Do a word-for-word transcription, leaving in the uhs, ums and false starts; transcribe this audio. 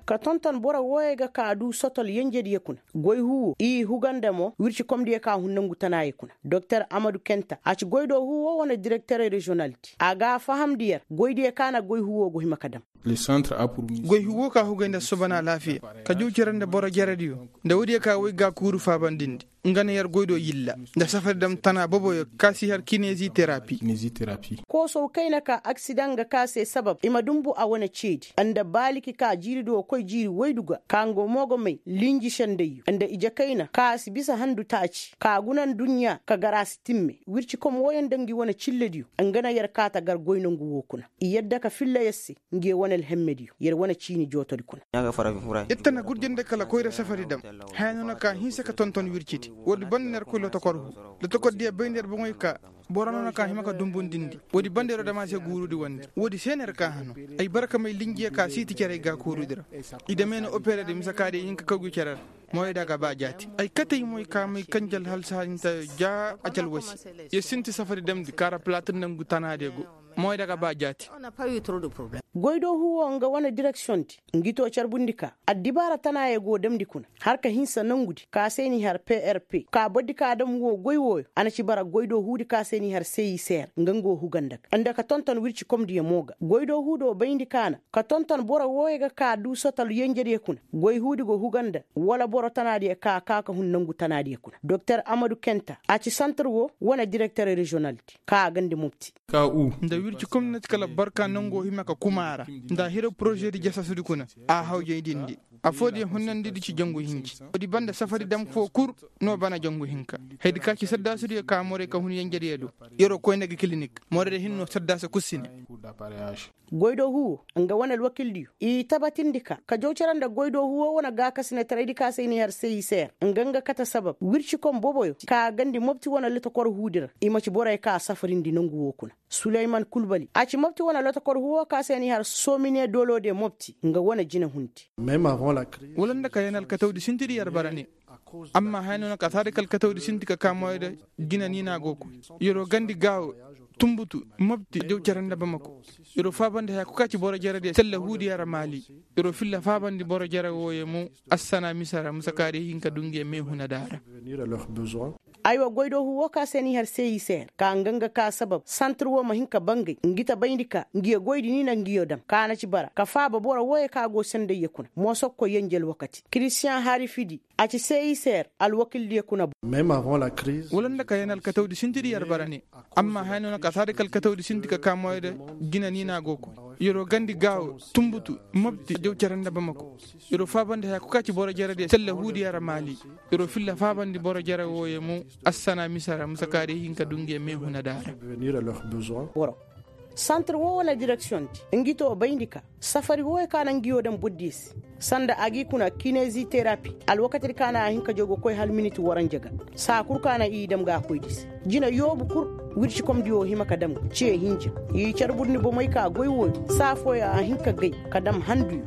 Ka tonton boro wooyey ga ka du sotol yenjediyo kuna. Goy huu woo i huga nda mo wircikomdiyo ka hun nangu tanaayo kuna. Doktor amadu kenta a ci goy do huu woo wane direkterey reziyonaldi a ga a fahamndi yer goydiyo ka na goy huu woo go hima ka dam. Goy huu woo ka hugay nda sobanaa alaafiya, ka jaw cere nda boro jerediyo, nda woodiyo ka woy gaakuuru faabandindi. Nga na yer goy do yilla nda safari dam tanaa boboyo ka si har kinezi terapi. Koosow kayna ka aksidaŋ ga ka se sabab i ma dunbu a wane ceedi nda baaliki ka jiiri do koy jiiri woydu ga ka nga mo ga may linji sendayyo nda ije kayna ka a si bisa handu taaci ka guna nduɲɲa ka gar a si timme wircikom wooyaŋ nda ngi wane cillediyo. Nga na yer kaata gar goy nongu woo kuna i yadda ka filla yer se. Nge wane alhemmediyo yer wane ciini jootodi kuna. Yer tana gurjandi kala koyra safari dam. Haya no na ka hinsa ka tonton wircidi woodi banda na yer koy lotokor huu. Lotokordiyo bay nda yer boŋey ka boro no na ka hima ka dumbundindi. Woodi banda yeroo dam a se guurudi wandi woodi se na yer ka hano. Ay bara ka may linjiyo ka siiti cerey gaakoorudi ra. I damey na operedi mise ka day hin ka kawgi cere ra. Mooyey da ga ba jaati ay katey moy ka may kanji alhalsa hinta ja a ci alwasi. Yer sinti safari damndi ka ra palatir nangu tanaadiyo go. Mooyey da ga ba jaati. Goydoo huuwoo nga wane direksiyoŋ di ngi too carbundi ka addibaara tanaayo go damndi kuna. Har ka hinsa nongudi ka se n'i har prp ka bordi ka dam woo goy wooyo a na ci bara goydoo huudi ka se n'i har seyiseer nga nga woo huga nda ga nda ka tonton wircikomdiyo mo ga goydoo huudoo bayndi ka na ka tonton boro wooyo ga ka duu sotal yenjediyo kuna. Goy huudi go huga nda wala boro tanaadiyo ka kaa ka hun nongu tanaadiyo kuna doktor amadu kenta a ci santir woo wane direkter reziyonal di ka a gandi mopti. Nda wirci komnati kala barka nongo hima ka kuma a ra nda a hiro poroze di jasasudi kuna. A hawjay din di affoo di hunnandi di ci jangu hinci. Woodi banda safari dam foo kul no bana jangu hinka. Haydi ka ci saddaasudiyo ka morey ka hun yenjediyo do. Yeroo koy nda ga kilinik morey da hin no saddaasa kul si ne. Goydoo huuwo nga wane alwakildiyo i tabatindi ka ka jaw cere nda goydoo huuwo wane gaakasinetaray di ka se i na i har seyiseer nga nga kate sabab wircikom boboyo ka a gandi mopti wane lotokor huudi ra. I ma ci borey ka a safarindi nongu woo kuna. Suleyman kulbali a ci mopti wane lotokor huuwo ka se i na i har somine dooloo de mopti nga wane jinahundi. Wala nda ka yeen alkatawdi sintidi yer bara ne. Amma haya no na ka saadi ka alkatawdi sinti ka kaa moyda jina ni na a go koy. Yeroo gandi gaawo, tunbutu, mopti jaw cere nda bamako. Yeroo faabandi haya kul ka ci boro jerediyo sella huudiyo ra maali. Yeroo filla faabandi boro jere wooyo mo assana mise ra mise ka day hin ka du ngi ye meehunadi a ra. Aywa goydoo huuwo ka se n'i har seyiseer ka nga nga kaa sabab santir woo ma hin ka bangay ngi ta bayndi ka ngi ye goydi ni na ngi yoo dam ka na ci bara ka faaba boro wooyo ka go sendayyo kuna moosokko yenje alwakati kiristiyaŋ harifidi. A ci seyiseer alwakildiyo kuna. Wala nda ka yeen alkatawdi sintidi yer bara ne. Amma haya no na ka saadi ka alkatawdi sinti ka kaa moyda jina ni na a go koy. Yeroo gandi gaawo, tunbutu, mopti jaw cere nda bamako. Yeroo faabandi haya kul ka ci boro jerediyo sella huudiyo ra maali. Yeroo filla faabandi boro jere wooyo mo assana mise ra mise ka day hin ka du ngi ye meehunadi a ra. Santir woo wane direksiyoŋ di ngi too bayndi ka safari wooyo ka na ngi yoo daŋ bordiyo se. Sanda a g'i kuna kinezi terapi alwakatidi ka na a hin ka jow ga koy hala miniti waranja ga. Saa kul ka na i daŋ ga a koydi se jina yoobu kul. Wircikomdi woo hima ka daŋ ga cee hinja. I carburndi bomey ka goy wooyo saa fooyo a hin ka gay ka daŋ handuyo.